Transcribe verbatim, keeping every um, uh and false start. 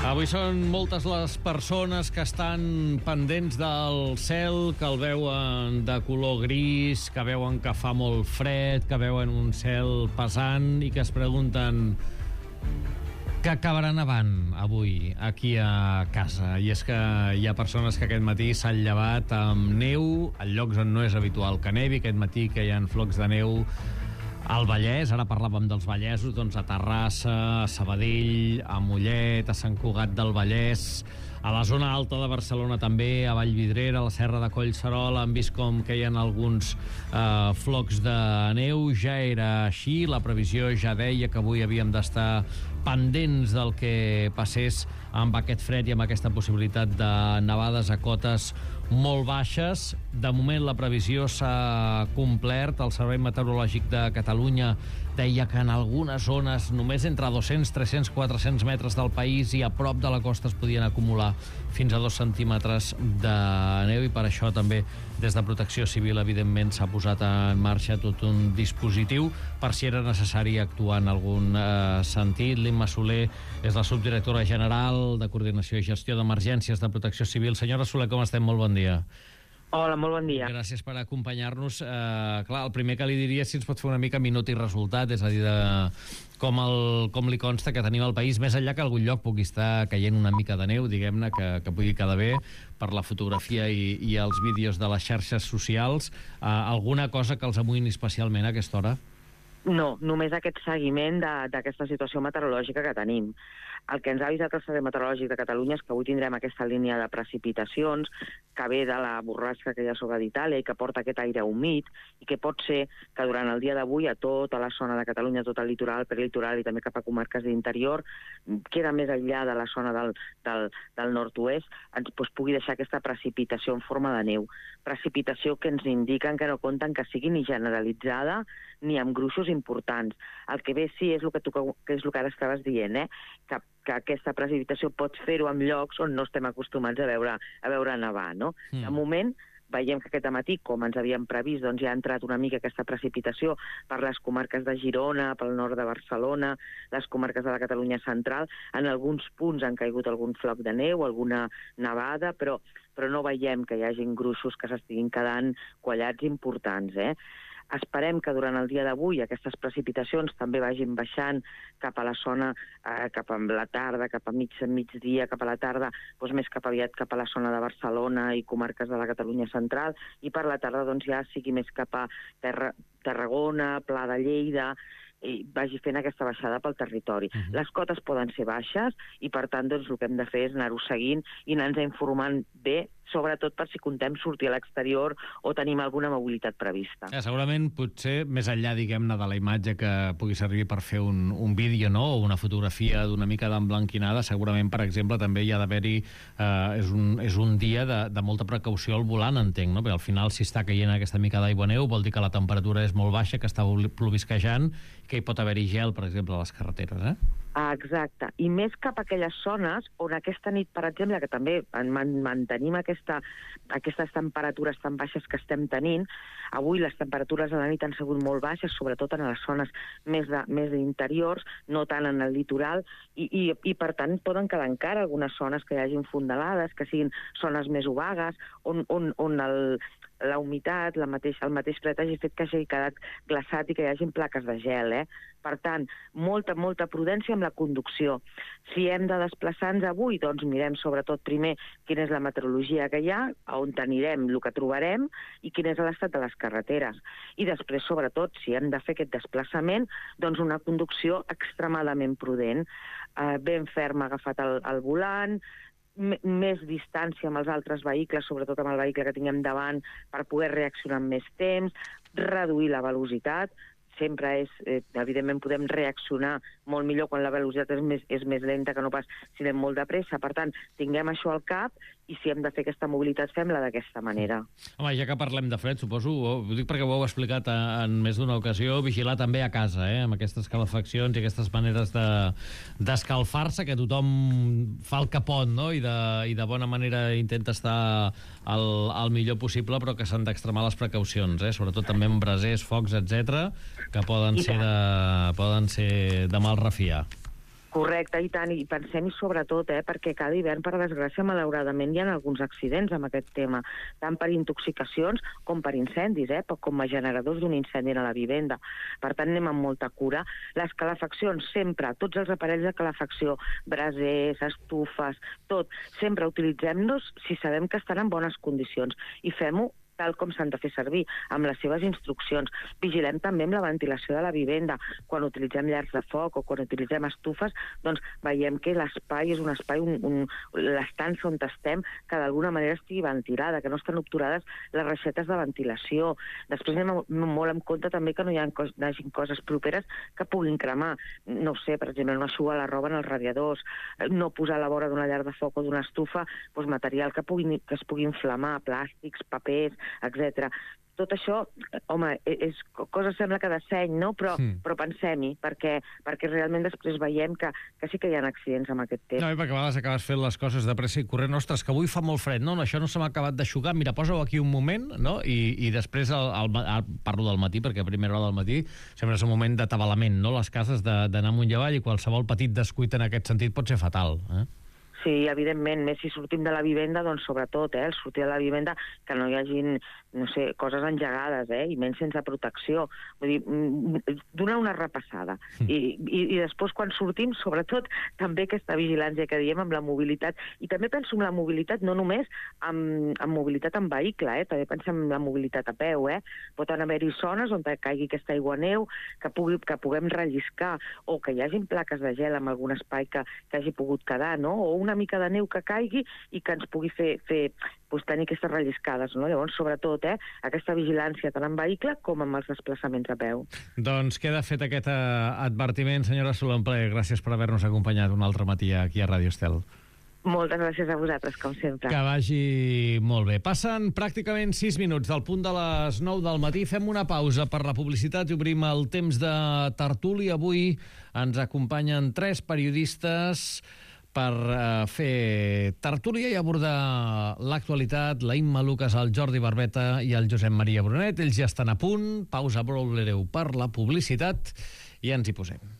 Avui són moltes les persones que estan pendents del cel, que el veuen de color gris, que veuen que fa molt fred, que veuen un cel pesant i que es pregunten què acabarà nevant avui aquí a casa. I és que hi ha persones que aquest matí s'han llevat amb neu a llocs on no és habitual que nevi. Aquest matí que hi ha flocs de neu al Vallès, ara parlàvem dels Vallesos, doncs a Terrassa, a Sabadell, a Mollet, a Sant Cugat del Vallès, a la zona alta de Barcelona també, a Vallvidrera, a la Serra de Collserola, han vist com que hi ha alguns eh, flocs de neu. Ja era així, la previsió ja deia que avui havíem d'estar pendents del que passés amb aquest fred i amb aquesta possibilitat de nevades a cotes molt baixes. De moment la previsió s'ha complert. El Servei Meteorològic de Catalunya deia que en algunes zones només entre dos-cents, tres-cents, quatre-cents metres del país i a prop de la costa es podien acumular fins a dos centímetres de neu, i per això també des de Protecció Civil evidentment s'ha posat en marxa tot un dispositiu per si era necessari actuar en algun eh, sentit. L'Imma Soler és la subdirectora general de Coordinació i Gestió d'Emergències de Protecció Civil. Senyora Soler, com estem? Molt bon dia. Hola, molt bon dia. Gràcies per acompanyar-nos. Eh, clar, el primer que li diria és si ens pot fer una mica minut i resultat, és a dir, de com, el, com li consta que tenim al país, més enllà que algun lloc pugui estar caient una mica de neu, diguem-ne, que, que pugui quedar bé per la fotografia i, i els vídeos de les xarxes socials. Eh, alguna cosa que els amoïni especialment a aquesta hora? No, només aquest seguiment d'aquesta situació meteorològica que tenim. El que ens ha avisat el Servei Meteorològic de Catalunya és que avui tindrem aquesta línia de precipitacions que ve de la borrasca que hi ha sobre d'Itàlia i que porta aquest aire humit, i que pot ser que durant el dia d'avui a tota la zona de Catalunya, tot el litoral, prelitoral i també cap a comarques d'interior, queda més enllà de la zona del, del, del nord-oest, ens doncs, pugui deixar aquesta precipitació en forma de neu. Precipitació que ens indiquen que no compten que sigui ni generalitzada ni amb gruixos importants. El que ve sí és el que, tu, que és el que ara estaves dient, eh? que, que aquesta precipitació pots fer-ho en llocs on no estem acostumats a veure, a veure nevar, no? Mm. De moment, veiem que aquest matí, com ens havíem previst, doncs ja ha entrat una mica aquesta precipitació per les comarques de Girona, pel nord de Barcelona, les comarques de la Catalunya central. En alguns punts han caigut algun floc de neu, alguna nevada, però, però no veiem que hi hagin gruixos que s'estiguin quedant quallats importants, eh? Esperem que durant el dia d'avui aquestes precipitacions també vagin baixant cap a la zona, eh, cap a la tarda, cap a mig, migdia, cap a la tarda, doncs més cap aviat cap a la zona de Barcelona i comarques de la Catalunya central, i per la tarda doncs ja sigui més cap a Terra, Tarragona, Pla de Lleida, i vagi fent aquesta baixada pel territori. Uh-huh. Les cotes poden ser baixes i per tant doncs, el que hem de fer és anar-ho seguint i anar-nos informant bé, sobretot per si contem sortir a l'exterior o tenim alguna mobilitat prevista. Ja, segurament, potser, més enllà, diguem-ne, de la imatge que pugui servir per fer un, un vídeo, no?, o una fotografia d'una mica d'emblanquinada, segurament, per exemple, també hi ha d'haver-hi... Eh, és, un, és un dia de, de molta precaució al volant, entenc, no?, perquè al final, si està caient aquesta mica d'aigua neu, vol dir que la temperatura és molt baixa, que està plovisquejant, que hi pot haver-hi gel, per exemple, a les carreteres, eh? Ah, exacte. I més cap a aquelles zones on aquesta nit, per exemple, que també mantenim aquesta, aquestes temperatures tan baixes que estem tenint, avui les temperatures a la nit han sigut molt baixes, sobretot en les zones més, de, més interiors, no tant en el litoral, i, i, i per tant poden quedar encara algunes zones que hi hagin fondalades, que siguin zones més obagues, on, on, on el... la humitat, la mateix, el mateix fred hagi fet que hagi quedat glaçat i que hi hagin plaques de gel, eh? Per tant, molta, molta prudència amb la conducció. Si hem de desplaçar-nos avui, doncs mirem sobretot primer quina és la meteorologia que hi ha, on anirem, el que trobarem, i quin és l'estat de les carreteres. I després, sobretot, si hem de fer aquest desplaçament, doncs una conducció extremadament prudent, eh, ben ferma agafat el, el volant, més distància amb els altres vehicles, sobretot amb el vehicle que tinguem davant, per poder reaccionar amb més temps, reduir la velocitat. Sempre és, eh, evidentment podem reaccionar molt millor quan la velocitat és més, és més lenta que no pas si anem molt de pressa. Per tant, tinguem això al cap, i si hem de fer aquesta mobilitat, fem-la d'aquesta manera. Home, ja que parlem de fred, suposo, ho dic perquè ho heu explicat en més d'una ocasió, vigilar també a casa, eh, amb aquestes calefaccions i aquestes maneres de, d'escalfar-se, que tothom fa el que pot, no?, i de, i de bona manera intenta estar al, al millor possible, però que s'han d'extremar les precaucions, eh, sobretot també amb brasers, focs, etcètera, que poden ser de, poden ser de mal refiar. Correcte, i tant, i pensem-hi sobretot, eh, perquè cada hivern, per desgràcia, malauradament, hi ha alguns accidents amb aquest tema, tant per intoxicacions com per incendis, eh, com a generadors d'un incendi a la vivenda. Per tant, anem amb molta cura. Les calefaccions, sempre, tots els aparells de calefacció, brasers, estufes, tot, sempre utilitzem-los si sabem que estan en bones condicions i fem-ho tal com s'han de fer servir, amb les seves instruccions. Vigilem també amb la ventilació de la vivenda. Quan utilitzem llars de foc o quan utilitzem estufes, doncs veiem que l'espai és un espai, un, un, l'estança on estem, que d'alguna manera estigui ventilada, que no estan obturades les reixetes de ventilació. Després anem molt en compte també que no hi ha cos, no hagi coses properes que puguin cremar. No ho sé, per exemple, no eixugar la roba en els radiadors, no posar a la vora d'una llar de foc o d'una estufa doncs, material que, pugui, que es pugui inflamar, plàstics, papers, etcètera. Tot això, home, és cosa sembla que de seny, no? Però, sí. però pensem-hi, perquè, perquè realment després veiem que, que sí que hi ha accidents amb aquest temps. No, i perquè a vegades acabes fent les coses de pressa i corrent. Ostres, que avui fa molt fred. No, no, això no se m'ha acabat d'aixugar. Mira, posa-ho aquí un moment, no? I, i després, el, el, el, parlo del matí, perquè a primera hora del matí sempre és un moment d'atabalament, no? Les cases d'anar amunt i avall, i qualsevol petit descuit en aquest sentit pot ser fatal, eh? Sí, evidentment, més si sortim de la vivenda, doncs sobretot, eh, el sortir de la vivenda, que no hi hagin, no sé, coses engegades, eh, i menys sense protecció. Vull dir, donar una repassada. I, i, i després, quan sortim, sobretot, també aquesta vigilància que diem amb la mobilitat. I també penso en la mobilitat, no només amb, amb mobilitat en vehicle, eh, també pensem en la mobilitat a peu, eh. Pot haver-hi zones on caigui aquesta aigua neu, que, pugui, que puguem relliscar, o que hi hagin plaques de gel en algun espai que, que hagi pogut quedar, no? O una mica de neu que caigui i que ens pugui fer, fer doncs, tenir aquestes relliscades, no? Llavors, sobretot, eh, aquesta vigilància tant en vehicle com amb els desplaçaments a peu. Doncs queda fet aquest uh, advertiment, senyora Solomple. Gràcies per haver-nos acompanyat un altre matí aquí a Ràdio Estel. Moltes gràcies a vosaltres, com sempre. Que vagi molt bé. Passen pràcticament sis minuts del punt de les nou del matí. Fem una pausa per la publicitat i obrim el temps de tertúlia. Avui ens acompanyen tres periodistes per uh, fer tertúlia i abordar l'actualitat. La Imma Lucas, el Jordi Barbeta i el Josep Maria Brunet. Ells ja estan a punt. Pausa breu per la publicitat i ens hi posem.